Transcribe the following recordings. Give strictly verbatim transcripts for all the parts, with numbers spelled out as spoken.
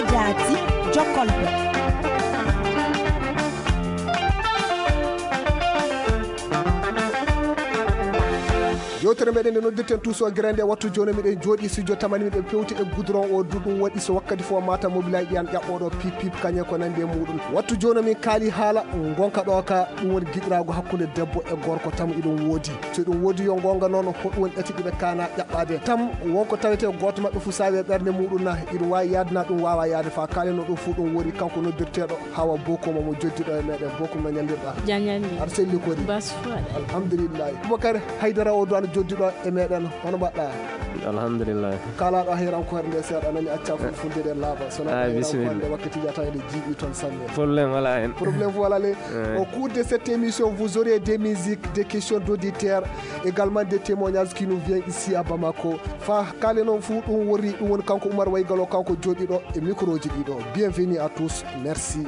Jaati, jokkolɓe. Yewtere meɗen nde noddirten Tuuso Gere nde, wattu jooni miɗen jooɗi studio tamani miɗen pewti e goudron o, du ɗum waɗi so wakkati fof mata mobilay ɗiyan ƴaɓɓoɗo pip pip kañe ko nandi e muɗum. Wattu jooni min kaali haala ngonka ɗo ka, ɗum woni giɗiraagu hakkunde debbo e gorko, tam iɗum woodi. So ɗum woodi yo ngonga noon, hoɗum woni ɗati ɗiɓe kaana ƴaɓɓaade? Tam wonko tawete gooto maɓɓe fof saawi e ɓernde muɗum na, iɗum waawi yaade na ɗum waawa yaade? Fa kaalino ɗum fof ɗum woni kanko noddirteeɗo Hawa Bokum mo joddi ɗo e meɗen. Bokum no ñallirɗa? Jañani. Aɗa selli kori? Bas fuɗa. Alhamdulillahi. Boubacar Haydara o duwano joddi ɗo e meɗen. Hono mbaɗɗa? Alhamdulillah. Kalaɗo hayrankoore nde seeɗa nani acca fulfulde ɗe laaɓa. So na Ah, hayrankoore bisimilla. Nde wakkati jata ene jiiɓi toon sanne. Problème wala hen. Problème wala le. Eh. Au cours de cette émission, vous aurez des musiques, des questions d'auditeurs, également des témoignages qui nous viennent ici à Bamako. Fa kale noon fuu ɗum worri, ɗum woni kanko Oumar Waygalo, kanko jooɗiɗo e microji ɗiɗo. Bienvenue à tous. Merci.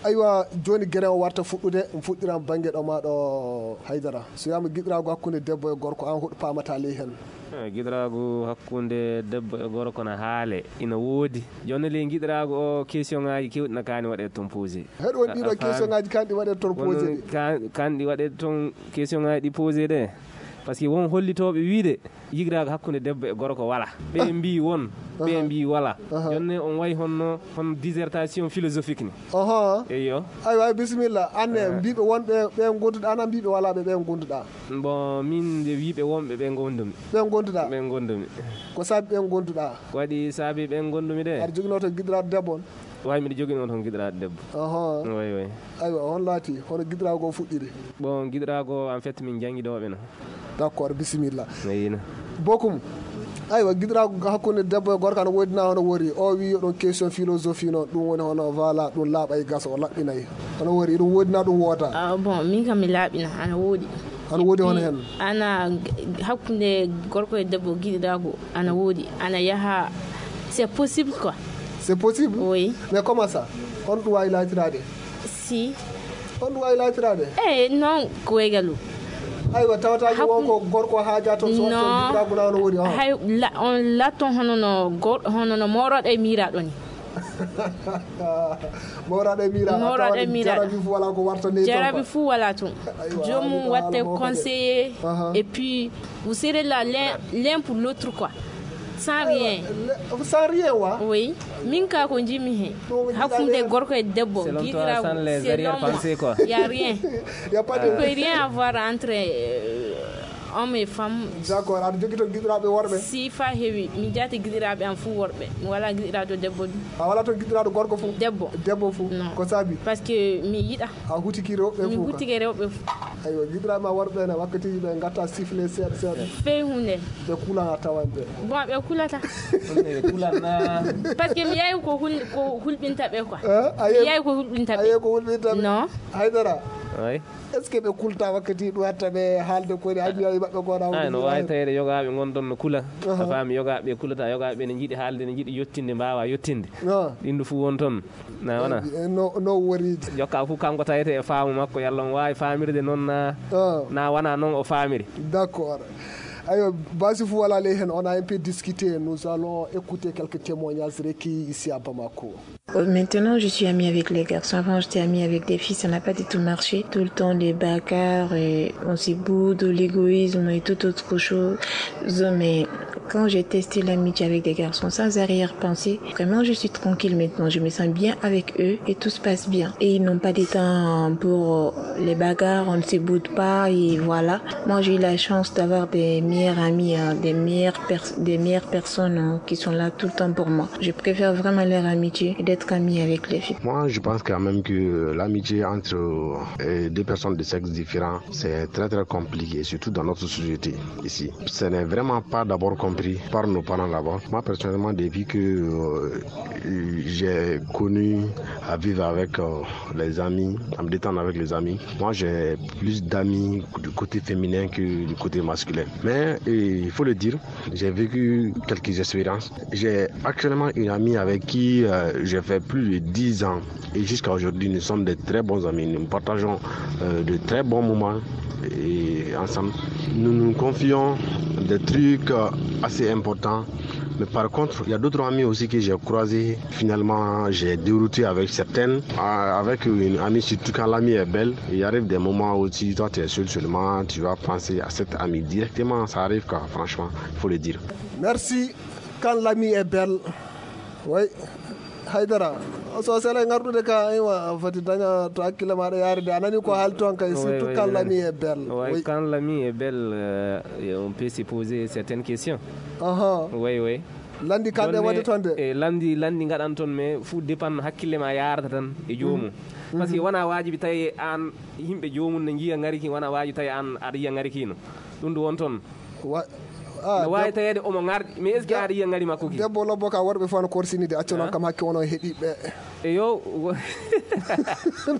Aywa, jooni gere o warta fuɗɗude, mi fuɗɗiran bannge ɗo ma ɗo Haydara. So wiyaama giɗiraagu hakkunde debbo e gorko, aan hoɗo paamata ley heen? Eh, giɗiraagu hakkunde debbo e gorko na haale, ina woodi. Jooni ley giɗiraagu o, question ŋaaji keewɗi na kaani waɗeede toon posé. Heɗo woni ɗiɗo question ŋaaji kaani ɗi waɗeede toon posé ɗi. Kaani ɗi waɗeede toon question ŋaaji ɗi posé ɗe. Parce que won hollitooɓe wiide, yigiraagu hakkunde debbo e gorko wala. Ɓe mbii won, ɓe mbii wala. Aha. Jonne on wayi honno, hono dissertation philosophique ni. Aha. Eyyo. Aywa, bisimilla. Anne, eh, mbiiɓe wonɓe ɓe gonduɗa, ana mbiiɓe wala ɓe ɓe gonduɗa? Bon, min nde wiiɓe wonɓe ɓe gondumi. Ɓe gonduɗa? Ɓe gondumi. Ko sabi ɓe gonduɗa? Ko waɗi sabi ɓe gondumi de? Aɗa joginoo to giɗiraaɗo debbo on? Way, miɗo joginoo toon giɗiraaɗo debbo. Aha. Way, way. Aywa, on laati, hono giɗiraago o fuɗɗiri? Bon, giɗiraago, en fait, min janngi ɗo ɓe no. D'accord, bisimilla. Eyina. Bokum. Aywa, giɗiraago hakkunde debbo e gorko ana woodi na hono wori? O wi yo ɗon question philosophie noon, ɗum woni hono voilà, ɗum laaɓay gasa, o laɓɓinay. Hono wori, ɗum woodi na ɗum woota? Ah, bon, min kam mi laaɓina, ana woodi. Ana woodi hono hen? Ana hakkunde gorko e debbo giɗiraago, ana woodi. Ana yaha, c'est possible quoi. C'est possible? Oui. Mais comment ça? On ɗum waawi laatiraade? Si. On ɗum waawi laatiraade? Eh, non, ko waygalu. Aywa, tawata ko won ko gorko haaja toon, so waɗi toon giɗiraagu na hono woni, oh. Hay la-, on laatton hono no gor-, hono no mooroɗo e miiraaɗo ni. Mooroɗo e miiraaɗo. Mooroɗo e miiraaɗo. Jarabi fuu wala ko warta ley toon. Jarabi fuu wala toon. Aywa, joomum watte conseiller. Aha. Et puis, vous serez là l'un, l'un pour l'autre quoi. Sans rien. Sans rien wa? Oui. Min ka ko jimi he. Hakkunde gorko e debbo. Selon toi, sans les arrière-pensées quoi. Il y a rien. Il y a pas de... Il y a rien à voir entre, euh, homme et femme. D'accord, aɗa jogii toon giɗiraaɓe worɓe? Si, fa heewi. Mi jaati giɗiraaɓe am fuu worɓe. Mi wala giɗiraaɗo debbo ɗum. A wala toon giɗiraaɗo gorko fuu? Debbo. Debbo fuu? Non. Ko sabi? Parce que mi yiɗa. A hutiki rewɓe fuu? Mi hutike rewɓe fuu. Aywa, giɗiraaɓe ma worɓe ne, wakkatiiji ɓe ngatta sifflet seeɗa seeɗa. Fey hunde. Ɓe kula a tawan ɓe. Bon, ɓe kulata. Ɓe kulan na? Parce que mi yayi ko hul-, ko hulɓinta ɓe quoi. Eh, a yehi, mi yayi ko hulɓinta ɓe. A yehi ko hulɓinta ɓe? Non. Haydara. Ay. Est-ce que ɓe kulta wakkati ɗum hatta ɓe haalde ko woni aduna e maɓɓe ko na? Ay, no waawi tawede yogaaɓe ngon ɗon no kula. Aha. A faami, yogaaɓe kulata, yogaaɓe ne njiɗi haalde, ne njiɗi yottinde, mbaawa yottinde. Ah. Ɗin ɗo fuu won toon. Na wona? Eh, no, no wori? Jokka fof kanko tawete e faamu makko, yalla on waawi faamirde noon na, ah, na wona noon o faamiri. D'accord. Ayo, basi fof wala ley hen, on a un peu discuté, nous allons écouter quelques témoignages recueillis ici à Bamako. Euh, maintenant, je suis amie avec les garçons. Avant, j'étais amie avec des filles, ça n'a pas du tout marché. Tout le temps, des bagarres, et on se boude, l'égoïsme et toute autre chose. Mais quand j'ai testé l'amitié avec des garçons sans arrière-pensée, vraiment, je suis tranquille maintenant. Je me sens bien avec eux et tout se passe bien. Et ils n'ont pas de temps pour, euh, les bagarres, on ne se boude pas et voilà. Moi, j'ai eu la chance d'avoir des meilleurs amis, hein, des meilleures pers-, des meilleures personnes, hein, qui sont là tout le temps pour moi. Je préfère vraiment leur amitié et d'être amie avec les filles. Moi, je pense quand même que l'amitié entre, euh, deux personnes de sexe différent, c'est très, très compliqué, surtout dans notre société ici. Ce n'est vraiment pas d'abord compris par nos parents d'abord. Moi, personnellement, depuis que, euh, j'ai connu à vivre avec euh, les amis, à me détendre avec les amis. Moi, j'ai plus d'amis du côté féminin que du côté masculin. Mais euh, il faut le dire, j'ai vécu quelques expériences. J'ai actuellement une amie avec qui euh, j'ai fait plus de dix ans. Et jusqu'à aujourd'hui, nous sommes de très bons amis. Nous partageons euh, de très bons moments et ensemble. Nous nous confions des trucs euh, assez importants. Mais par contre, il y a d'autres amis aussi que j'ai croisés. Finalement, j'ai dérouté avec certaines. Ah, avec une amie, surtout quand l'amie est belle, il arrive des moments où tu, toi, tu es seul seulement, tu vas penser à cette amie directement. Ça arrive, quoi, franchement, il faut le dire. Merci. Quand l'amie est belle. Oui. Haydara, so sele ngarɗude ka, aywa, foti daña to hakkille maɗa yaari de. A nani ko haali toon kay, surtout quand l'amie est belle. Oui, quand l'amie est belle, euh, on peut se poser certaines questions. Aha. Oui, oui. Lanndi kanɗe waɗde toon de. E lanndi, lanndi ngaɗan toon, mais fuu dépend hakkille ma yaarata tan e joomum. Parce que wona waajibi tawi aan yimɓe joomum ne njiya ngari ki, wona waajibi tawi aan aɗa yiya ngari kino. Ɗum ɗo won toon. No waawi taweede omo ŋarɗi, mais est-ce que aɗa yiya ŋari makko ki? Debbo lobbo ka, worɓe fof no korsini de, accu noon kam hakke wono heɗiɓe. Eyo.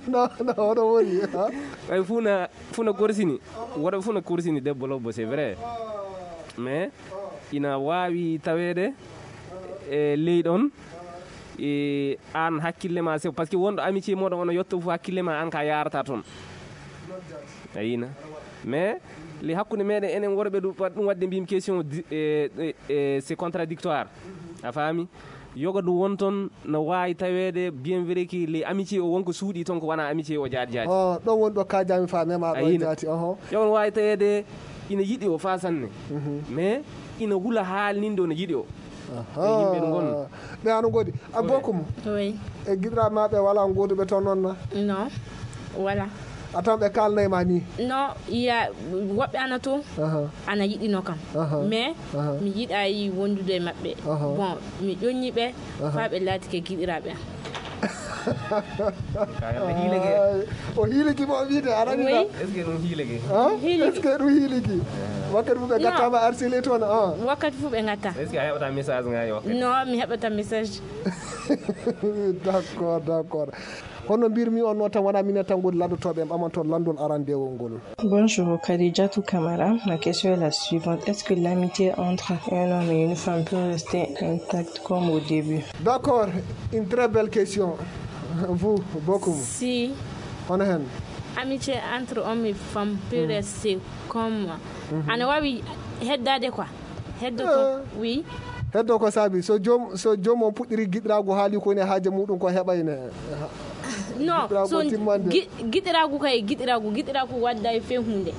No, no, hono woni. Ɓay fuu na, fuu na korsini. Worɓe fuu na korsini debbo lobbo, c'est vrai. Mais ina waawi taweede e ley ɗon, e aan hakkille ma sew, parce que wonɗo amitié moɗon ono yotto fof hakkille ma aan ka yaarata toon. A yina. Mais le hakkunde meɗen enen worɓe ɗum, ɗum waɗde mbimi question di- e- e- e- c'est contradictoire. A faami? Yoga ɗum won toon no waawi taweede bien vrai que les amitié o wonko suuɗi toon ko wona amitié o jaati jaati. Oh, ɗon woni ɗo kajami fa mema ɗo jaati. Oho. Yoga no waawi taweede ina yiɗi o fa sanne. Mais ina hula haalninde o no yiɗi o. E yimɓe no ngon. Ɓe ano ngoodi a bokum. Oui. E giɗiraɓe maɓe wala ngoduɓe toon noon na? Non. Wala. A tan ɓe kalnay ma ni? Non, ya woɓɓe ana toon. Ana yiɗino kam. Mais mi yiɗayi wondude e maɓɓe. Bon, mi ƴoññi ɓe fa ɓe laatike giɗiraɓe am. Ka yalla hiilege. O hiiliki mo o wiide arani. Oui. Est-ce que ɗum hiilege? Est-ce que ɗum hiiliki? Wakkati fof ɓe gattama arsile toon. Wakkati fof ɓe gatta. Est-ce que a heɓata message ngaji wakkati? Non, mi heɓata message. D'accord, d'accord. Hono mbirmi on noon tan wona minen tan ngoni lanndotooɓe en ɓamanto lanndol arandewol ngol. Bonjour, Khadijatou Kamara. Ma question est la suivante. Est-ce que l'amitié entre un homme et une femme peut rester intacte comme au début? D'accord, une très belle question. Vous, beaucoup. Si. Hono hen? Amitié entre homme et femme peut rester comme. Ana wawi heddade quoi. Heddo ko wi. Heddo ko saabi so joom so joom on puɗɗiri giɗiraagu haali ko woni e haaje muɗum ko heɓayne. Non, so giɗiraagu kay giɗiraagu giɗiraagu wadda e fe hunde.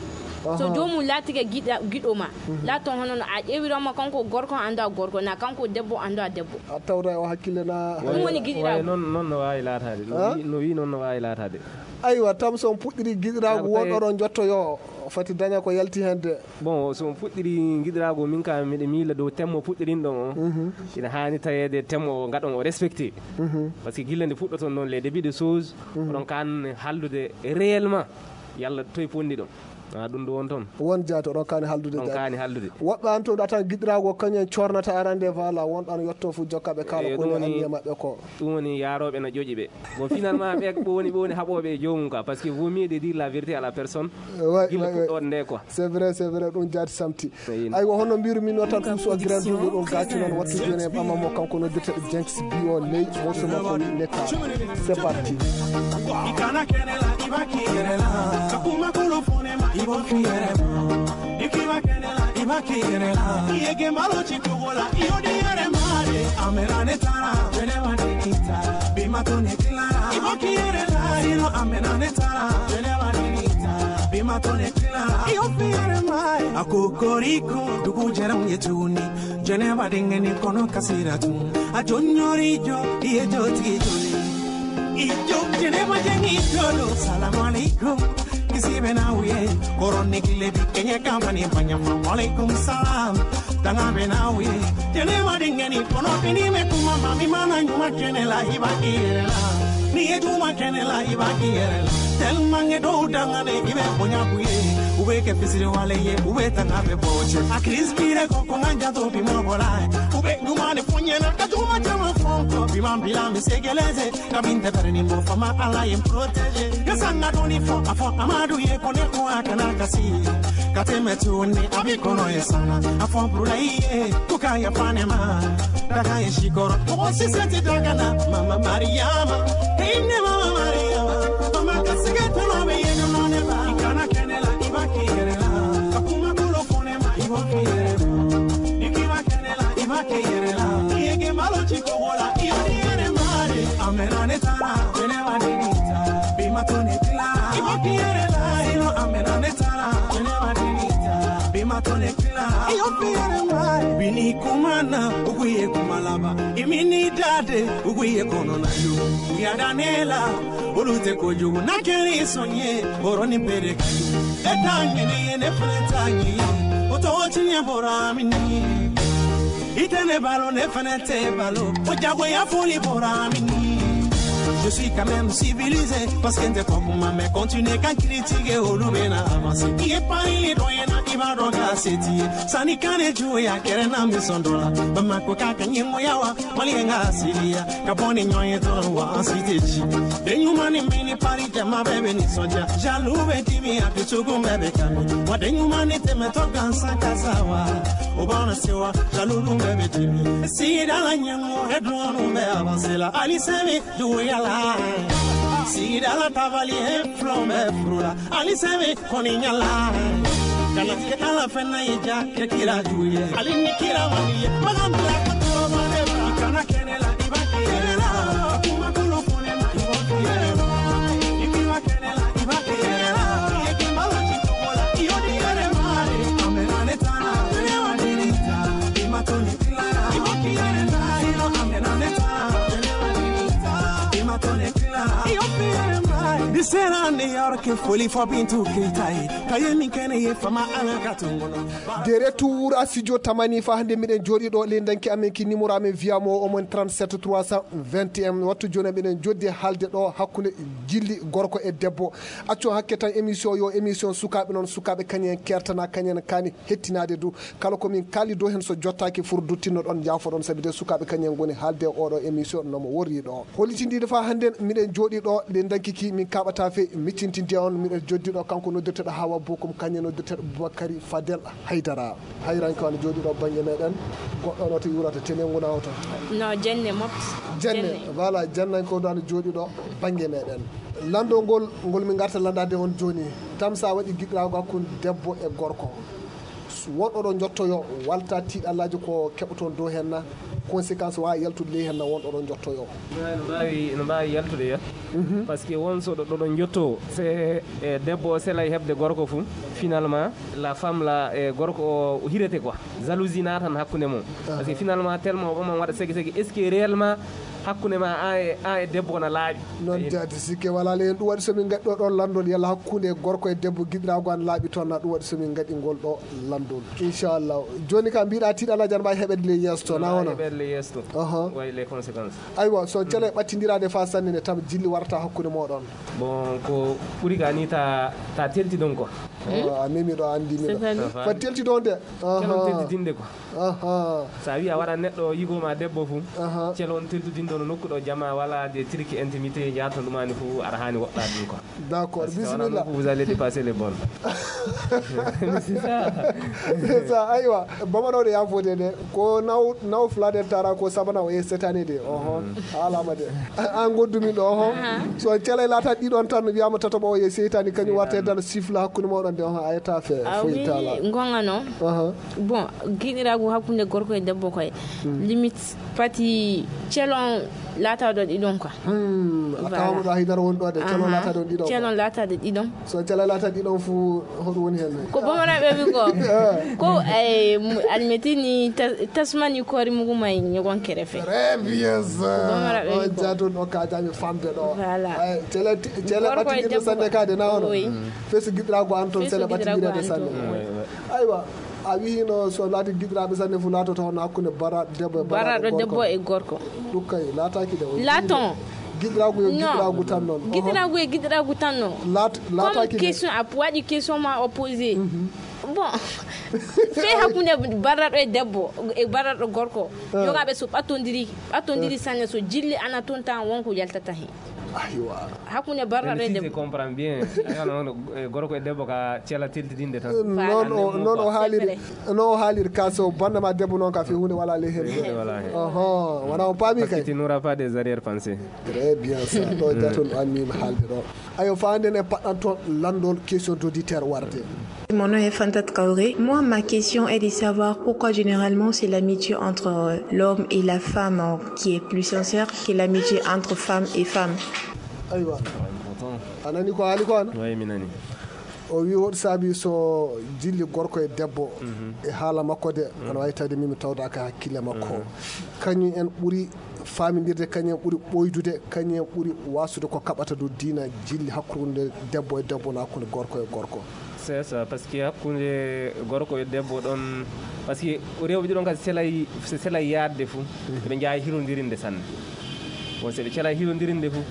So joomum laatike giɗo ma, laatton hono no a ƴeewiroma kanko gorko annda gorko na kanko debbo annda debbo. A tawta o hakkille na. Ɗum woni giɗiraagu. Non non no waawi laataade. No wi non no waawi laataade. Aywa, tam so on puɗɗiri giɗiraagu won ɗoɗon njottoyo fati daña ko yalti heen de. Bon, so on puɗɗiri giɗiraagu min ka miɗa miila dow temmo puɗɗirinɗon o ina haani taweede temmo o ngaɗon o respecté. Parce que gilla nde puɗɗoton noon les débuts de choses oɗon kaan hallude réellement yalla toye pondiɗon. A ɗum ɗo won toon. Won jaati oɗon kaani haldude. Ɗon kaani haldude. Woɓɓe an toon atan giɗiraagu o kañum en cornata arande voilà wonɗo an yetto fof jokkaɓe kala ko woni anniya maɓɓe ko. Ɗum woni yaarooɓe na ƴoƴi ɓe. Bon, finalement ɓe ko woni ɓe woni haɓooɓe e joomum quoi, parce que vaut mieux de dire la vérité à la personne. Gila puɗɗoɗe nde quoi. C'est vrai, c'est vrai, ɗum jaati samti. Aywa, hono mbiru min o tan ɗum so grande ɗo ɗum gaccu noon wattu joni en ɓamamo kanko noddirteɗo Jenks Bio ley morceau makko wi netta. C'est parti. Ikana kenela ibaki yerela. Kakuma kulu fone ma ibo fiyere ma. Ikiwa kenela ibaki yerela. Iyege malo chikugola iyodi yere mare. Amera netara. Whenever they need her. Be my tone clara. Ibaki yerela. Ino amera netara. Whenever they need her. Be my tone clara. Iyo fiyere ma. Akokoriko dugu jaram yetuni. Jeneba dingeni kono kasira tu. A jonyori jo iye joti joni. Ijo jeneba jengi jolo. Salam alaikum. Kisi bena uye. Koroni kile bi kenye kamani banyama. Alaikum salam. Tanga bena uye. Jeneba dingeni kono bini me kuma mami mana nyuma kenela ibaki yerela. Ni yejuma kenela ibaki yerela. Tel mange do dangane ibe bonya kuye. Ube ke pisiri wale ye, ube tanga be boche. A Chris bire ko ko nganja to bi mo bola. Ube dumane funye na ka tuma chama fonko. Bi man bila mi segeleze, ka binte bere ni mo fama ala yem protege. Ya sanga doni fo, afo amadu ye kone ko akana kasi. Ka teme tuni, abi kono ye sana. Afo brula ye, kuka ya panema. Daga ye shikoro, ko si seti dagana. Mama Mariama, hey ne Mama Mariama. Mama kasige tolo be ye no ne ba. Ikana kenela, iba kiyerela. Kakuma kulo fonema, iba kiyerela. Ikiba kenela, iba kiyerela. Yege malo chiko wola, iyo ni ere mare. Amena ne tara, wene wa ni nita. Bima tone kila, iba kiyerela. Ino amena ne tara, wene wa ni nita. Bima tone kila, iyo kiyere mare. Bini kumana, ukuye kumalaba. Imini dade, ukuye kono na yo. Uyadanela, ulute kojugu. Na keri sonye, boroni pere kayu. Etangene, ne fene tangi. Oto otinye boramini. Itene balo, ne fene te balo. Ojago ya foli boramini. Je suis quand même civilisé. Parce que t'es pas pour ma mère. Continue quand critiquer au loubena avancé. Il est pas, il est loin, il va donc accepter. Sani kane juya kere na mi sondola. Bamako kaka nyimo yawa, mali nga silia. Kaboni nyoye to wa ansiteji. De nyuma ni mini pari jama bebe ni soja. Jalu be timi a tusugu bebe kami. Wa de nyuma ni teme to gansa kasawa. Obana sewa, jalu bebe timi. Si dala nyimo edronu be avancé la. Ali semi juya la. Si dala tabali e flombe frula. Ali semi Koni nyala. Kana ke ala fena ija ke kira juye. Ali ni kira waliye. Malam la kato mane. Kana kenela iba kenela. Kuma kulo kone ma iba kenela. Ikiwa kenela iba kenela. Yeke mala chikola. Iyo ni yere mare. Amena ne tana. Tene wa ni nita. Ima toni kila. Iba kenela. Ino amena ne tana. Tene wa ni nita. Ima toni kila. Iyo ni yere mare. Di sera New York. Foli fo Bintu Keita e. Kaye min kene ye fama ala ka tungono. De retour à studio Tamani fa hande miɗen jooɗi ɗo le danki amen ki numéro amen via mo omon trente-sept trois cent vingt et un. Wattu joni miɗen joddi halde ɗo hakkunde jilli gorko e debbo. Acco hakke tan émission yo émission sukaɓe non sukaɓe kañen kertana kañen kani hettinade du. Kala ko min kaali dow heen so jottaaki fur duttinno ɗon, njaafo ɗon, sabi de sukaaɓe kañum ngoni haalde e oɗo émission no mo worri ɗo. Hollitindiiɗo faa hannden miɗen jooɗii ɗo, nde dankiki min kaaɓataa fey, miccintinde on, miɗen joddi ɗo kanko noddirteɗo Hawa Bokum, kañum noddirteɗo Boubacary Fadel Haydara. Hayranke on jooɗii ɗo bannge meɗen, goɗɗo no to yuurata tenengu na oto. No, Jenne Mot. Jenne, Jenne. Voilà, Jenne ko ɗo ana jooɗii ɗo bannge meɗen. Lanndol ngol, ngol min ngarta lanndaade on jooni, tam sa waɗi giɗiraagu hakkunde debbo e gorko. Won oɗo njottoyo, walta tiiɗallaaji ko keɓoton dow heen na, conséquence waawi yaltude ley heen na, won oɗo njottoyo. No mbaawi, no mbaawi yaltude ya. Mhm. Parce que won so ɗo, ɗo, ɗo njotto, se, e, debbo o selay heɓde gorko fu, finalement, la femme la, e, gorko o hirete quoi. Jalousie naatan hakkunde mum. Parce que finalement, tellement o ɓaman waɗa segi segi, est-ce que réellement hakkunde ma an e, an e debbo na laaɓi? Noon jaati sikke walaa le, en ɗum waɗi so min ngaɗi ɗo ɗoon lanndol, yalla hakkunde gorko e debbo giɗiraagu ana laaɓi toon na, ɗum waɗi so min ngaɗi ngol ɗo lanndol. Inchallah. Jooni ka mbiɗa tiiɗa alaa jan mbaawi heɓede ley yeeso to, na wona? Heɓede ley yeeso to. Aha. Way les conséquences. Aywa, so cele ɓattindiraade faa sanne ne tam jilli warata hakkunde mooɗon. Bon, ko ɓuri ka ni ta, ta telti ɗon quoi. Oh, a memi ɗo, anndi mi ɗo. C'est-à-dire? Fa telti ɗon de. Aha. Telon teltitinde quoi. Aha. So a wiya wara neɗɗo yigo ma debbo fu, aha, celon teltitindo no nokku ɗo jama wala de trique intimité jaato ɗumani fu aɗa hani woɗɗade ɗum quoi. D'accord, parce que bismillah. Nokku vous allez dépasser les bornes. C'est ça. C'est ça, aywa. Bamanoɗo yafode de, ko naw, naw fladen tara ko sabana o e setani de. Oho. Mm. Alama de. An goddumi ɗo, oho. Aha. So cele lata ɗiɗon tan wiyama tataɓo o e seytani kañum warta e dal sifla hakkunde mawɗon de, oho, ayata fe. Ah, foyi oui, tala. Gonga non. Aha. Bon, giɗiraagu hakkunde gorko e debbo koye. Hmm. Limite pati celon laataɗo ɗiɗon quoi. Hmm, a tawama ɗo haydara woni ɗo de, celon laataɗo ɗiɗon quoi. Celon laataɗo ɗiɗon. So cela laata ɗiɗon fu, hoɗum woni hen? Ko bamaraɓe wi ko. Eh. Ko, eh, mu-, almeti ni ta-, tasmani kori mugu may ñogon kerefe. Très bien ça. Ko bamaraɓe wi ko. O jatun o kajami fambe ɗo. Voilà. Ay, cela ti-, cela ɓattiɗirde sanne kade na ono? Oui. Fesi giɗirago an toon, cela ɓattiɗirde sanne. Oui. Aywa. A wii no so laati giɗiraaɓe sanne fu laatoto hono hakkunde bara-, debbo e baraɗo debbo e gorko. Ɗum kay laataaki de. Laaton. Giɗiraagu yo giɗiraagu tan noon. Giɗiraagu e giɗiraagu tan noon. Laat- Comme laataaki de. Question a waɗi question ma o posé. Bon, fee hakkunde barraɗo e debbo e barraɗo gorko. Yogaaɓe so ɓattondiri ɓattondiri sanne, so jilli ana toon tan wonko yaltata heen. Aywa. Hakkunde barraɗo e debbo. Comprend bien. Aywa, noon, eh, gorko e debbo ka cela teltidinde tan. Noon o noon o haaliri. Noon o haaliri ka so bannama debbo noon ka fii huunde wala ley heen. Huunde wala heen. Oho, wona on paami kay. Parce que tu n'auras pas des arrière pensées. Très bien ça. Ɗo jatun an min haalde ɗo. Ayo, faanden e paɗɗan toon lanndol question d'auditeur warde. Mon nom est Fanta Traoré. Moi, ma question est de savoir pourquoi généralement c'est l'amitié entre, euh, l'homme et la femme, euh, qui est plus sincère que l'amitié entre femme et femme. Aywa. A nani ko haali ko an? Oui, mi nani. O wi hoɗo saabi so jilli gorko e debbo e haala makko de, ana wawi tawde min mi tawdaka hakkille makko. Kañum en ɓuri faamindirde, kañum en ɓuri ɓoydude, kañum en ɓuri wasude ko kaɓata dow diina jilli hakkunde debbo e debbo na hakkunde gorko e gorko. C'est ça, parce que hakkunde gorko e debbo ɗon, parce que rewɓe ɗiɗon kadi selay, se selay yaadde fuu, ɓe njaha hirondirinde sanne. Bon, se ɓe cela hirondirinde fuu,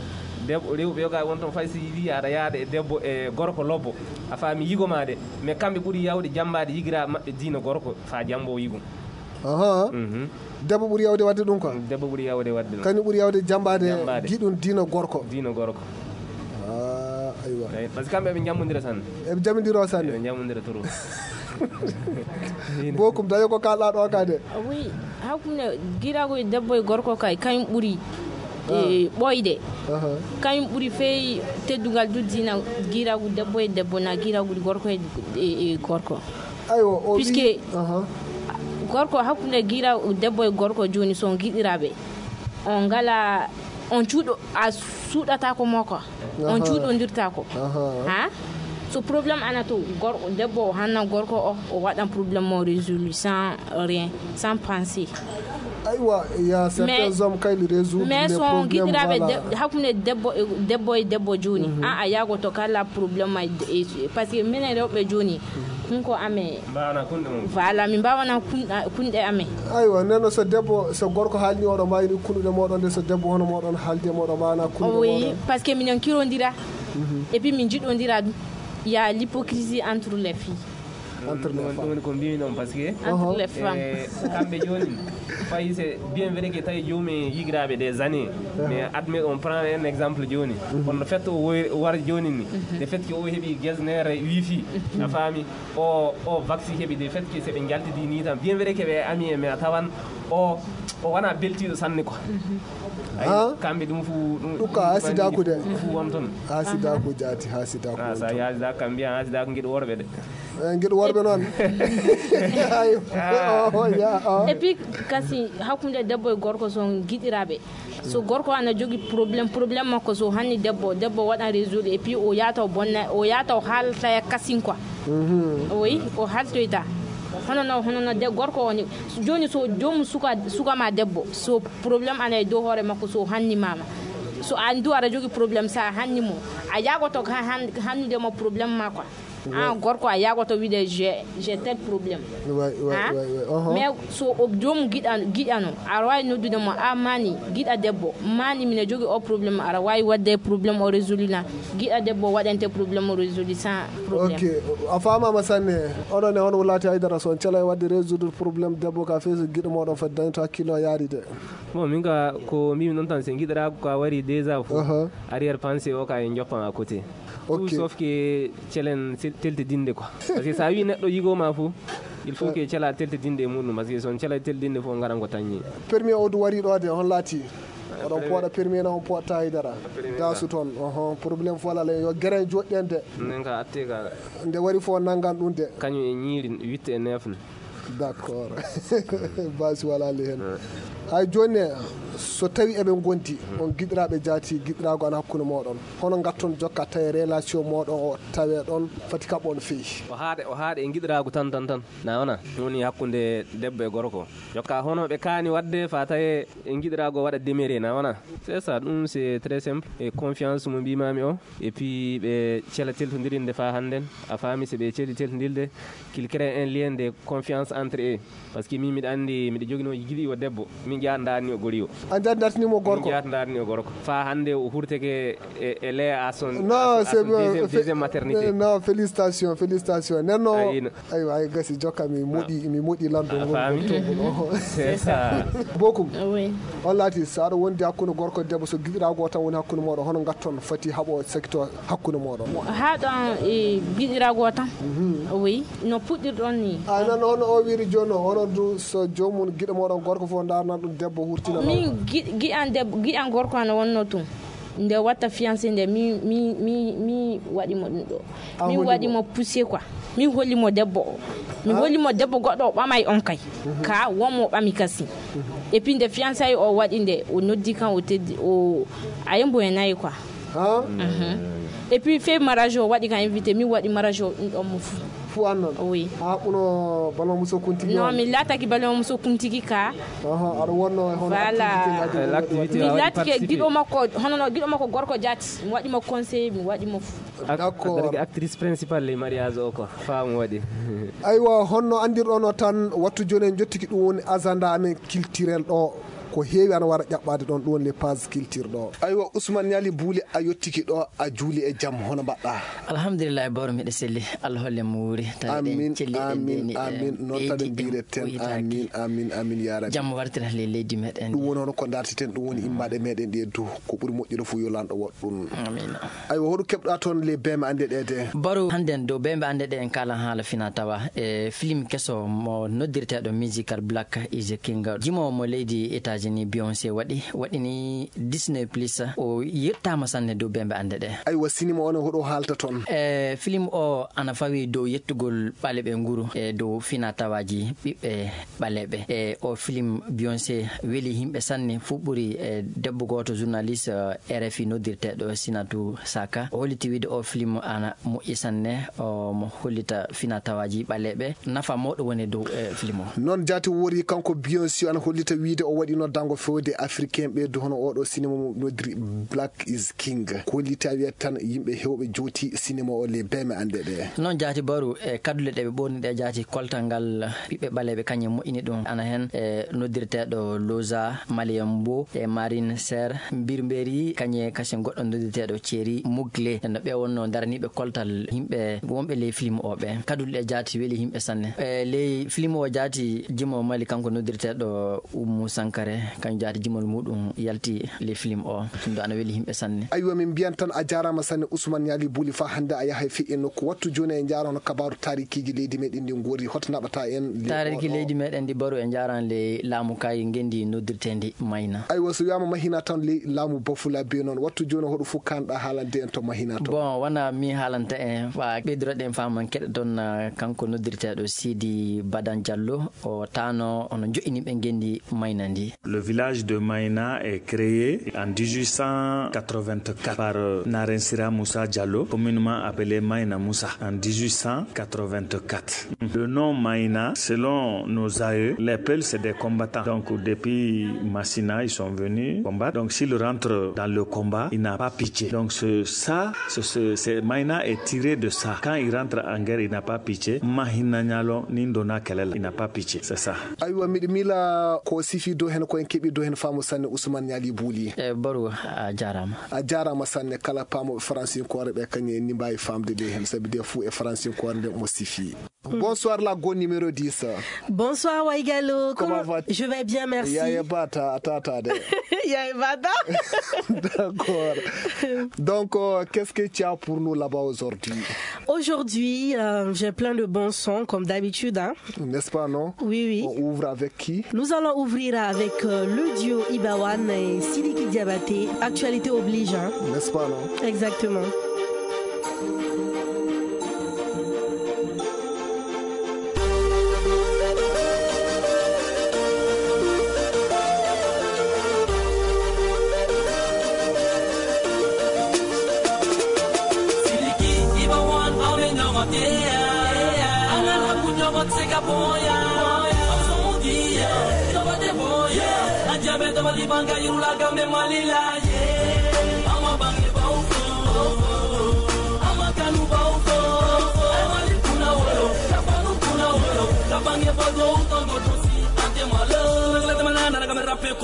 debbo, rewɓe yoga won toon fay si wiya aɗa yaada e debbo e gorko lobbo, a faami yigo ma de, mais kamɓe ɓuri yawde jambaade yigira maɓɓe diina gorko fa jambo yigo. Aha. Debbo ɓuri yawde wadde ɗum quoi? Debbo ɓuri yawde wadde ɗum. Kañum ɓuri yawde jambaade giɗum diina gorko. Diina gorko. Ah, aywa. Eyi, parce que kamɓe eɓe jammondira sanne. Eɓe jammondira o sanne. Eɓe jammondira trop. Bokum daño ko kalɗa ɗo ka de. Oui, hakkunde giɗiraagu debbo e gorko kay kañum ɓuri, eh, ɓooyde. Aha. Kañum ɓuri fey teddungal du diina giɗiraagu debbo e debbo na giɗiraagu gorko e, e, e gorko. Aywa, o puisque gorko hakkunde giɗiraagu debbo e gorko jooni so on giɗiraaɓe, on ngala on cuuɗo a suuɗata ko mo quoi. On cuuɗondirta ko. Ha? So problème ana to gorko debbo o hanna gorko o, o waɗan problème mo résolu sans rien, sans penser. Aywa, il y a certains hommes quand ils résoudent mais les so on problèmes, giɗiraaɓe voilà. De- hakkunde debbo e debbo e debbo jooni, an a yagoto kala problème ma e- e- parce que minen rewɓe jooni, hunko amen. Mbawana kunɗe mum. Voilà, min mbawana kun- kunɗe amen. Aywa, nden noon so debbo, so gorko haalni oɗo mbawi ni kunɗuɗe moɗon de, so debbo hono moɗon haaldi e moɗon mbawana kunɗuɗe moɗon. Oui, parce que minen kirondira. Et puis min jiɗondira ɗum. Il y a l'hypocrisie entre les filles. Entre les femmes. Ɗum woni ko mbimi noon, parce que entre les femmes, eh, kamɓe jooni, fayi c'est bien vrai que tawi joomum yigiraaɓe des années, mais admet on prend un exemple jooni. Kono le fait o woy- o wara jooni ni, le fait que o heɓi gesnere wifi, a faami, o o vaccine heɓi, le fait que seɓe njaltidi ni tan, bien vrai que ɓe ami e mais a tawan o o wona beltiiɗo sanne quoi. Ayi, kamɓe ɗum fof ɗum ɗum ka hasidaku de. Ɗum fof won toon. Hasidaku jaati, hasidaku. Ah, sa yaasidaka kam mbiya hasidaku ngiɗo worɓe de. Eh, ngiɗo worɓe noon. Ayo. Et puis kasi hakkunde debbo e gorko so giɗiraaɓe, so gorko ana jogi problème, problème makko so hanni debbo debbo waɗan résoudre et puis o yaata o bonna o yaata o haalta kasin quoi. Oui, o haltoyta. Hono no hono no de gorko o ni. Jooni so joomum suka suka ma debbo so problème ana e dow hoore makko so hanni mama, so an du aɗa jogi problème sa hanni mo, a yagoto ka han- hannude mo problème ma quoi. An gorko a yagoto wiide j'ai j'ai tel problème. Mais so o joomum giɗa giɗano aɗa wawi noddude mo a mani giɗa debbo mani mine jogi o problème aɗa wawi wadde problème o résolu na giɗa debbo waɗante problème o résolu sans problème. Ok, a famama sanne. Onon e hono wulati haydara so on calay wadde résoudre problème debbo ka fee so giɗo moɗon fati dañto hakkille o yaari de. Bon, min ka ko mbimi noon tan, so giɗiraagu ka wari déjà fof, arrière pensée o ka en joppan à côté. Tout sauf que celen sel- teltidinde quoi. Parce que sa wi neɗɗo yigo ma fof, il faut que cela teltidinde e muɗum, parce que so on cela teltidinde fof ngaran ko tañi. Permis o du wari ɗo de hon laati? Oɗon pooɗa permis na on pooɗta haydara. Dasu toon, oho, problème fof alaa yo gere joɗɗen de. Nden ka atte ka. Nde wari fof nanngan ɗum de. Kañum e ñiiri witte e neefne. D'accord. Basi wala le hen. Hay joni, so tawi eɓe gondi, on giɗiraɓe jaati, giɗirago an hakkunde moɗon, hono gatton jokka tawi relation moɗon o tawe ɗon fati kaɓon feyi? O haaɗe o haaɗe e giɗirago tan tan tan. Na wona woni hakkunde debbo e gorko, jokka hono ɓe kaani wadde fa tawe e giɗirago waɗa demere, na wona? C'est ça, ɗum c'est très simple. E confiance mo mbimami o, et puis ɓe cela teltondirinde fa hannden, a faami, so ɓe celi teltondirde, qu'il crée un lien de confiance entre eux. Parce que min miɗa anndi miɗa joginoo giɗo debbo. Min njaha ndaarni o goriyo. A njaha ndaartini mo gorko? Min njaha ndaarni o gorko. Faa hannde o hurteke e, e Léa à son, non, à son, c'est à son bien. Deuxième, deuxième maternité. Non, félicitations, félicitations. Nden no, aywa, ay gasi, jokka, mi moɗi, mi moɗi lanndo ngol, faami, ngol tombol o. C'est ça. Bokum. Oui. On laati, so aɗa wondi hakkunde gorko e debbo, so giɗiraago o tan woni hakkunde mooɗon, hono ngatton fati haɓo sakito hakkunde mooɗon? Haa ɗon e giɗiraago o tan. Mhm. Oui. No puɗɗirɗon ni. A nan hono o wiiri jooni o, onon du so joomum giɗo mooɗon gorko fof ndaarnan ɗum debbo hurtina. Min gi-, giɗan debbo, giɗan gorko an wonno tun. Nde watta fiancé nde, mi, mi, mi, mi waɗi mo ɗum ɗo. A min holli waɗi mo? Mo poussé quoi. Min holli mo debbo o. Mi holli mo debbo goɗɗo o ɓamay on kay. Mhm. Ka won mo ɓami kasi. Mhm. Et puis nde fiançailles o waɗi nde, o noddi kan, o teddi, o, a yembo e nayi quoi. Ha? Mhm. Et puis fe mariage o waɗi kan invité, mi waɗi mariage o ɗum ɗon mo fu. Fu annon? Oui. A haɓɓuno Balma Muso Kuntigi? Non, on? Mi laataki Balma Muso Kuntigi ka. Aha, aɗa wonno e hono, voilà, activité ngaji? Eh, l'activité mi a waɗi laatike participer? Giɗo makko, hono no giɗo makko gorko jaati. Mi waɗi mo conseil, mi waɗi mo fu. Ac-, d'accord. Adaraki actrice principale le mariage o ko faamu waɗi. Aywa, honno andirɗon o tan, wattu jooni en jottiki ɗum woni agenda amen culturel ɗo. Ko heewi ana wara ƴaɓɓaade ɗon, ɗum woni les pages culture ɗo. Aywa, Ousmane Niali Bouli, a yottiki ɗo, a juuli e jam, hono mbaɗɗa? Alhamdulillahi, bawro miɗo selli. Allah holle mo wuuri. Tawi ɗen amin, celli ɗen amin, deni, eh, amin. Noon tan ɓeydi, en mbireten. Amin, amin, amin, ya Rabbi. Jam wartira le-, leydi meɗen. Ɗum woni hono ko dartiten, ɗum woni immaɗe meɗen ɗe du. Ko ɓuri moƴƴude fof yo lanɗo waɗ ɗum. Amin. Aywa, hoɗum keɓɗa toon le beme annde ɗe de? Baro, hannden dow beme annde ɗe en kaalan haala fina tawa. E film keso mo noddirteeɗo Musical Black is a King. Jimoowo mo leydi États-Unis, Beyoncé waɗi, waɗini Disney Plus. O yettaama sanne dow beme annde ɗe. Aywa, sinima o ne hoɗo haalta toon? E film o ana fawi dow yettugol ɓaleeɓe nguru e dow fina tawaaji ɓiɓɓe ɓaleeɓe. E o film Beyoncé weli yimɓe sanne, fu ɓuri e debbo gooto journaliste, eh, R F I noddirteeɗo Sinatu Saka. O holliti wiide o film ana moƴƴi sanne, o mo hollita fina tawaaji ɓaleeɓe. Nafa mawɗo woni dow, eh, film o. Noon jaati woori kanko Beyoncé ana hollita wiide o waɗi noddango fewde Africain ɓe du hono oɗo sinema mo noddiri Black is King. Ko hollita wiya tan yimɓe hewɓe jooti sinema o le beme annde ɗe. Noon jaati baru e kaddule ɗe ɓe ɓorni ɗe jaati koltal ngal ɓiɓɓe ɓaleeɓe kañum moƴƴini ɗum. Ana heen e noddirteeɗo Loza Malien Mbo e Marine Serre Mbirmberi kañe kasen goɗɗo noddirteeɗo Thierry Mugler. No ɓe wonno daraniiɓe koltal yimɓe wonɓe ley film o ɓe. Kaddule ɗe jaati weli yimɓe sanne. E ley film o jaati jimo Mali kanko noddirteeɗo Oumou Sankare, kañum jaati jimol muɗum yalti le film o. Ɗum ɗo ana weli yimɓe sanne. Aywa, min mbiyan tan a jaaraama sanne Ousmane Niali Bouli, faa hannde a yahay fii e nokku. Wattu jooni e njaara hono kabaaru taarikiiji leydi meɗen ndi ngori, hoto naɓata en le Taariki o ɗo? Leydi meɗen ndi baru e njaaraan le laamu kay ngendi noddirteendi Mayna. Aywa, so wiyaama Mahina tan le laamu Bafula be noon. Wattu jooni hoɗo fof kanɗa haalande en to Mahina to? Bon, wana mi haalanta en, faa ɓeydoro ɗen faaman keɗe toon, ah, kanko noddirteeɗo Sidi Badan Diallo. O taano ono joƴƴini ɓe ngenndi Mayna ndi. Le village de Mayna est créé en dix-huit cent quatre-vingt-quatre par, euh, Naren Sira Moussa Diallo, communément appelé Mayna Moussa, en dix-huit cent quatre-vingt-quatre. Le nom Mayna, selon nos aïeux, les Peuls, c'est des combattants. Donc, depuis Massina, ils sont venus combattre. Donc, s'il rentre dans le combat, il n'a pas pitié. Donc, ce, ça, ce, ce, c'est, Mayna est tiré de ça. Quand il rentre en guerre, il n'a pas pitié. Mahina Nialo, ni donna kɛlɛ la, il n'a pas pitié. C'est ça. Aywa, miɗo miila ko sifi dow heen, ko en keɓi dow heen faamu sanne Ousmane Niali Bouli. E baru, a jaaraama. A jaaraama sanne, kala paamooɓe faransinkoore ɓe, kañum en ni mbaawi faamde dow heen, sabi de fuu e faransinkoore nde mo sifi. Bonsoir, la go numéro dix. Bonsoir, Waigalo. Comment vas-tu? Je vais bien, merci. Yaye bata, a tata de. Yaye bata. D'accord. Donc, euh, qu'est-ce que tu as pour nous là-bas aujourd'hui? Aujourd'hui, euh, j'ai plein de bons sons, comme d'habitude, hein. N'est-ce pas, non? Oui, oui. On ouvre avec qui? Nous allons ouvrir avec, euh, le duo Ibawan et Sidiki Diabaté. Actualité oblige, hein. N'est-ce pas, non? Exactement.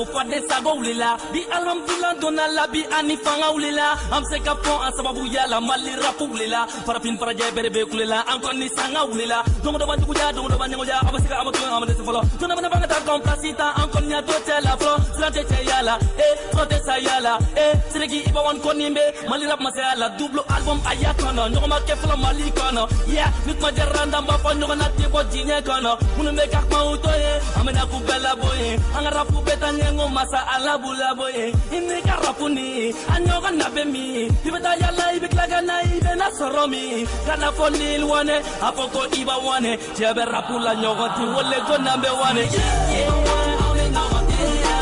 Fade sago wulila, bi alhamdulillah donna la, bi ani fanga wulila. Am se ka fɔ a sababu yala Mali rap wulila. Farafin farajɛ bere be kulela, an kɔni ni sanga wulila. Don dɔ ban duguja, don dɔ ban ɲɛgoja, a bɛ se ka a bɛ to, a bɛ dɛsɛ fɔlɔ. Don dɔ ban banga ta kɔn plasi ta, an kɔni y'a to cɛ la fɔlɔ. Sira tɛ cɛ yala, eh, fura tɛ sa yala, eh. Siriki i b'a wɔn kɔni bɛ Mali rap masaya la, double album a y'a kɔnɔ. Ɲɔgɔn ma kɛ fɔlɔ Mali kɔnɔ. Yeah, ni kuma diyara n da, n b'a fɔ ɲɔgɔn na tɛ bɔ diɲɛ kɔnɔ. Minnu bɛ ka kuma u to ye, an bɛna k'u bɛɛ labɔ ye. An ka rap bɛɛ taa ɲɛ, n ko masa Ala b'u labɔ ye. I n'i ka rap ni a ɲɔgɔn na bɛ min? I bɛ taa yala, i bɛ tila ka na, i bɛ na sɔrɔ min? Ka na fɔ Lil Wayne, a fɔ ko Iba Wane. Cɛ bɛ rap la ɲɔgɔn ti wele ko nan bɛ Wane. Yeah, yeah, yeah, an bɛ ɲɔgɔn tɛ yan.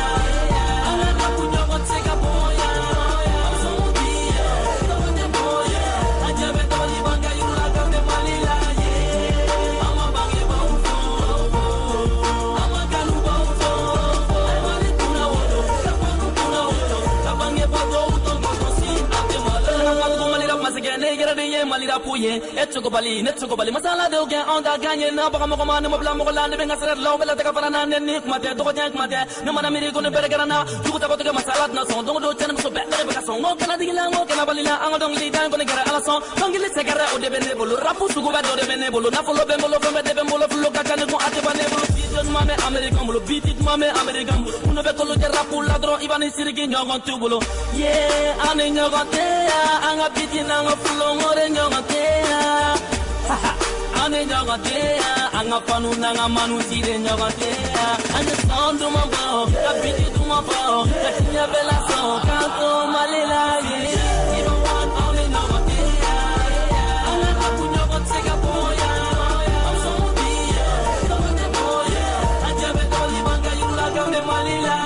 An ka rap ɲɔgɔn tɛ ka bɔ yan. An sɔn ti yan. Tɔgɔ tɛ bɔ yan. A jɛ bɛ tɔgɔ ni ban ka yir'u la, kan bɛ Mali la, yeah. An ma bangebaaw fɔ. An ma kanubaw fɔ. Mali kunna wolo. Ka bɔ kunna wolo. Ka bangebaa dɔw tɔgɔ si a tɛ Mali la. Mali la masakɛ, ne yɛrɛ de ye Mali la ko ye. E cogo bali, ne cogo bali, masala dɔw kɛ anw da kan ye, na baga mɔgɔ ma, ne ma bila mɔgɔ la, ne bɛ n ka sira la, o bɛ la taga fara na, ne ni kuma tɛ, dɔgɔjɛ kuma tɛ, ne mana miiri ko ne bɛrɛ kɛra na, jugu tago tigɛ masala tɛna sɔn, don o don cɛ ni muso bɛɛ, ne bɛ ka sɔn, n ko kana digi la, n ko kana bali la, an ka dɔnkili da in kɔni kɛra Ala sɔn, dɔnkili sɛgɛrɛ o de bɛ ne bolo, rap sugu bɛɛ dɔ de bɛ ne bolo, nafolo bɛ n bolo, fɛn bɛɛ de bɛ n bolo, filo ka ca ni kun a tɛ ban ne bolo, beat ɲuman bɛ Amerikɛn bolo, beat ɲuman bɛ Amerikɛn bolo, minnu bɛ kolo jɛ rap la dɔrɔn, i b'a ni siriki ɲɔgɔn t'u bolo, yeah, an ni ɲɔgɔn tɛ yan, an ka beat n'an ka flow, n ko de ɲɔgɔn tɛ yan. An ni ɲɔgɔn tɛ yan, an ka fanu n'an ka manu si de ɲɔgɔn tɛ yan. An ye san duman bɔ, ka biti duman fɔ, ka diɲɛ bɛɛ lasɔn, k'an to Mali la yen. I bɛ wa, an ni ɲɔgɔn tɛ yan. An ka rap ɲɔgɔn tɛ se ka bɔ yan. An sɔn bi yan, tɔgɔ tɛ bɔ yan. An jɛ bɛ tɔgɔ ni ban ka yir'u la, kan bɛ Mali la.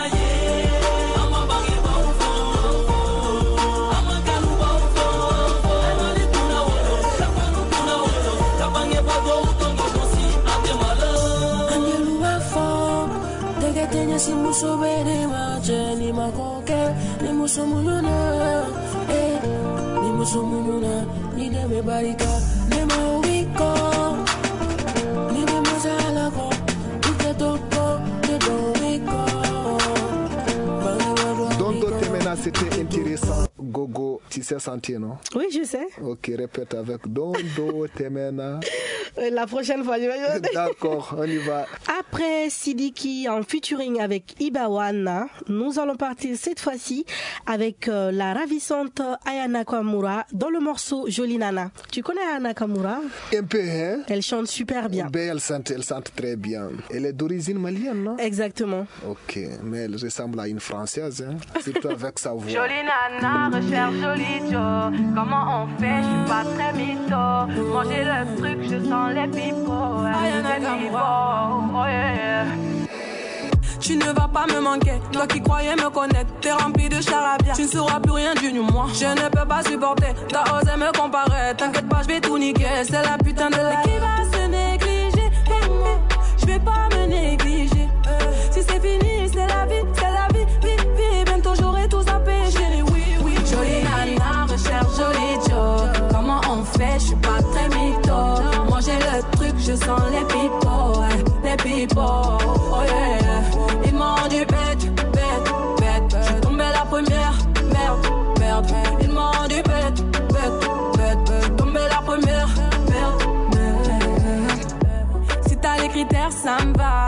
Angelu b'a fɔ, tɛgɛ tɛ ɲɛsin muso bɛ ne ma, cɛ ni ma ko kɛ, ni muso muɲuna, eh, ni muso muɲuna, ni dɛmɛ barika, ne ma wuli kɔ, ni ne ma se Ala kɔ, i tɛ to kɔ, ne dɔn wuli kɔ. Bangebaa dɔ wuli kɔ. Tonton Temena, c'était intéressant. Gogo, tu sais chanter, non? Oui, je sais. Ok, répète avec Dondo Temena. Euh, la prochaine fois, je vais. D'accord, on y va. Après Sidiki en featuring avec Ibawana, nous allons partir cette fois-ci avec euh, la ravissante Aya Nakamura dans le morceau Jolie Nana. Tu connais Aya Nakamura? Un peu, hein? Elle chante super bien. Ben, elle chante, elle chante très bien. Elle est d'origine malienne, non? Exactement. Ok, mais elle ressemble à une Française, hein, surtout avec sa voix. Jolie nana recherche joli Joe. Comment on fait? Je suis pas très mytho. Manger le truc, je sens les pipeaux. Les pipeaux. Oh yeah, yeah. Tu ne vas pas me manquer, toi qui croyais me connaître, t'es rempli de charabia. Tu ne sauras plus rien du moi. Je ne peux pas supporter, t'as osé me comparer. T'inquiète pas, je vais tout niquer. C'est la putain de la. Mais qui va se négliger? Hey, moi, je vais pas me négliger. Si c'est fini, c'est la vie, c'est la vie, vie, vie. Bientôt j'aurai tout zappé, chérie, oui, oui. Jolie nana recherche joli Joe. Comment on fait? Je suis pas très mytho. Manger le truc, je sens les pipeaux, hein, les pipeaux. Oh yeah, ils m'ont dit bête, bête, bête. Je suis tombée la première, merde, merde. Ils m'ont dit bête, bête, bête, bête. Je suis tombée la première, merde, merde. Si t'as les critères, ça me va.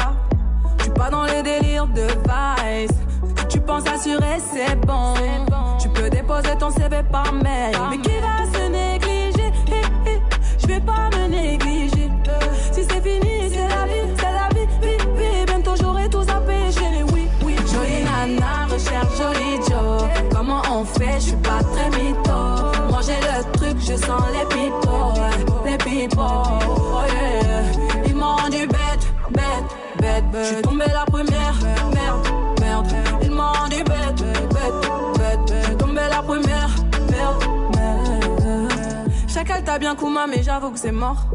Je suis pas dans les délires de vice. Si tu penses assurer, c'est bon. Tu peux déposer ton C V par mail. Mais qui va se négliger? Hi, hi, je vais pas me négliger. Si c'est fini, c'est la vie, c'est la vie, vie, vie. Bientôt j'aurai tout zappé, chérie, oui, oui. Jolie nana recherche joli Joe. Comment on fait? Je suis pas très mytho. Manger le truc, je sens les pipeaux, ouais, les pipeaux. Oh yeah. Ils m'ont dit bête, bête, bête, bête. Je suis tombée la première, merde, merde. Ils m'ont dit bête, bête, bête, bête. Je suis tombée la première, merde, merde. Chacal t'a bien Kuma, mais j'avoue que c'est mort.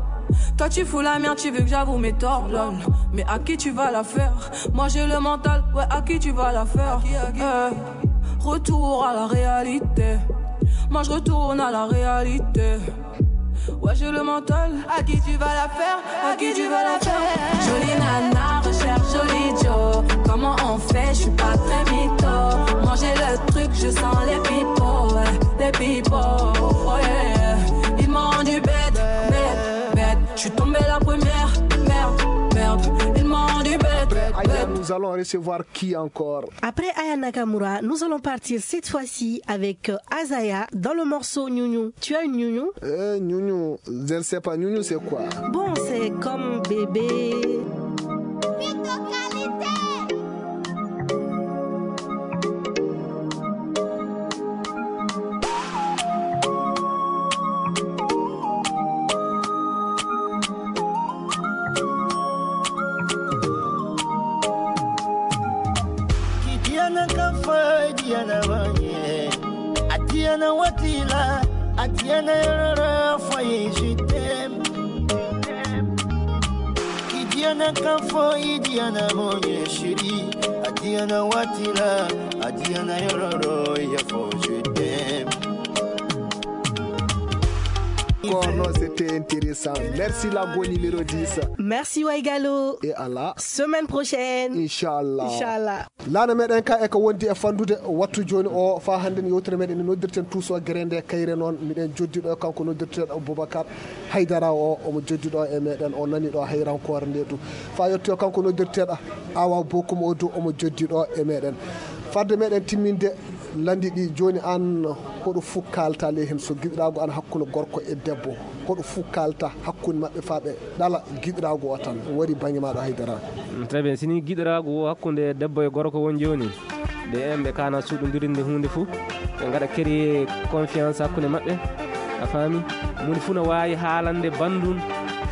Toi tu fous la merde, tu veux que j'avoue mes torts, lol. Mais à qui tu vas la faire? Moi j'ai le mental, ouais, à qui tu vas la faire? Eh, retour à la réalité. Moi je retourne à la réalité. Ouais, je le mental, à qui tu vas la faire, à qui tu vas la faire. Jolie nana, recherche joli Joe. Comment on fait, je suis pas très mytho. Manger le truc, je sens les pipos, ouais, les pipos, oh yeah, yeah. Ils m'ont rendu bête, bête, bête. Je suis tombé la première, merde, merde. Ils m'ont rendu bête, bête, Aïe, bête. Nous allons recevoir qui encore? Après Aya Nakamura, nous allons partir cette fois-ci avec euh, Azaya dans le morceau Nhounhou. Tu as une Nhounhou? Euh, Nhounhou, je ne sais pas, Nhounhou, c'est quoi? Bon, c'est comme bébé. Ki Diana kan fo, Diana wanye. A Diana watila, a Diana yororo fo, je t'aime. Ki Diana kan fo, Diana wanye, chérie. A Diana watila, a Diana yororo ya fo, je t'aime. Kono, c'était intéressant. Merci la Goni Mélodie. Merci Waigalo. Et Allah. Semaine prochaine. Inchallah. Inchallah. Laana meɗen ka e ko wondi e fandude wattu jooni o, fa hannde no yewtere meɗen nde noddirten Tuuso Gere nde kayre noon. Miɗen joddi ɗo e kanko noddirteeɗo Boubacar Haydara o, omo joddi ɗo e meɗen, o nani ɗo hayrankoore nde ɗum. Fa yettoyo kanko noddirteeɗo Awa Bokum o du, omo joddi ɗo e meɗen. Fadde meɗen timminde landi ɗi jooni, an hoɗo fuu kaalta ley heen, so giɗiraagu an hakkunde gorko e debbo, hoɗo fuu kaalta hakkunde maɓɓe faa ɓe ɗala giɗiraagu o tan, wari bannge maaɗo haydara. Mm, très bien. Si ni giɗiraagu o hakkunde debbo e gorko won jooni, ɓe en ɓe kaana suuɗondirinde huunde fuu, ɓe ngaɗa créer confiance hakkunde maɓɓe, a faami? Moni fuu no waawi haalande banndum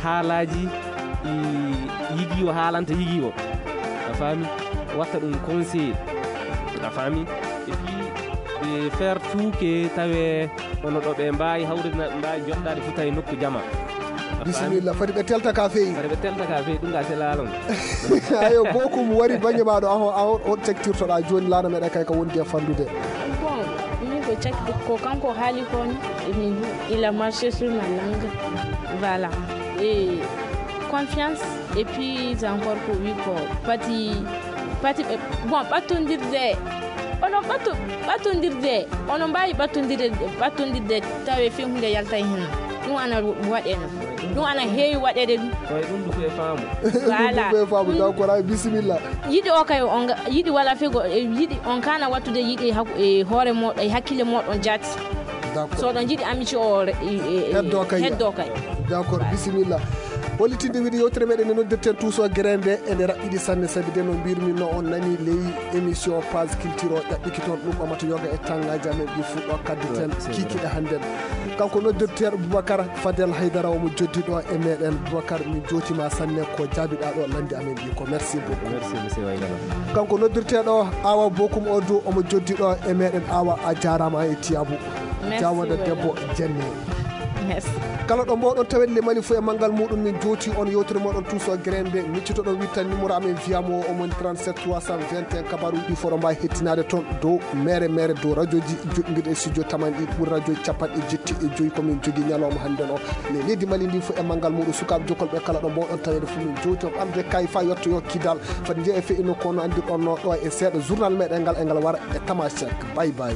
haalaaji ɗi yigii o haalanta yigii o, a faami? Watta ɗum conseiller, a faami? Et puis, ɓe faire tout que tawe ono ɗo ɓe mbaawi hawrina, ɓe mbaawi joɗɗaade fof tawi nokku jama. A faami? Bisimilla, foti ɓe telta ka feewi. Foti ɓe telta ka feewi, ɗum ka selaalo. Ayo, Bokum wari bannge maaɗo, aho, aho, on caktirtoɗa jooni laana meɗa kay ka wondi e fandude. Bon, min ko cakti ko kanko haali ko ni, il a marché sur ma langue. Voilà. Et confiance, et puis encore ko wi ko pati, pati ɓe, bon, ɓattondirde, onon ɓatto, ɓattondirde, onon mbaawi ɓattondirde, ɓattondirde tawe fii hunde yalta heen. Ɗum ana waɗe no, ɗum ana heewi waɗeede ɗum. Koye ɗum ɗum koye faamu. Voilà. Ɗum koye faamu, donc, koraa bisimilla. Yiɗi o kay, on ga-, yiɗi wala fego, e yiɗi on kana wattude yiɗi hak-, e hoore moɗon, e hakkille moɗon jaati. D'accord. So oɗon njiɗi amitié o re-, e, e, e heddo kay. Heddo kay. D'accord, bisimilla. Hollitinde wiide yewtere meɗen nde noddirten Tuuso Gere nde, ene raɓɓiɗi sanne, sabi de no mbirmi no on nani ley émission Page Culture o, ƴaɓɓiki toon ɗum ɓamata yoga e tangaaji amen ɗi fuɗɗo kadditen. Ouais, c'est vrai. Kikiɗe hannden. Kanko noddirteeɗo Boubacar Fadel Haydara, omo joddi ɗo e meɗen. Boubacar, min jootima sanne ko jaabiɗa ɗo landi amen ɗi ko. Merci beaucoup. Merci, monsieur Waydara. Kanko noddirteeɗo Awa Bokum o du, omo joddi ɗo e meɗen. Awa, a jaarama e tiyabu. Merci, Jawanda Waydara. Debbo jenne. Merci. Kala ɗo mboɗon tawede le Mali fof e manngal muɗum, min jooti on yewtere moɗon Tuuso Gere nde, miccitoɗon wittan numéro amen via mo o, omoni trente-sept trois cent vingt et un. Kabaruji ɗi fof ɗo mbawi hettinaade toon dow mere mere, dow radioji joɗɗinirɗi e studio taman ɗi ɓuri radioji capanɗe jetti e joyi ko min jogii ñalawma hannden o. Ne leydi Mali ndi fof e manngal muɗum, sukaaɓe jokkolɓe kala ɗo mboɗon tawede fof min jowti on ɓamde kay fa yettoyo kidal. Fati jeeya e feƴƴino kono anndirɗon no ɗo e seeɗa journal meɗen ngal e ngal wara e Tamasek. Bye bye.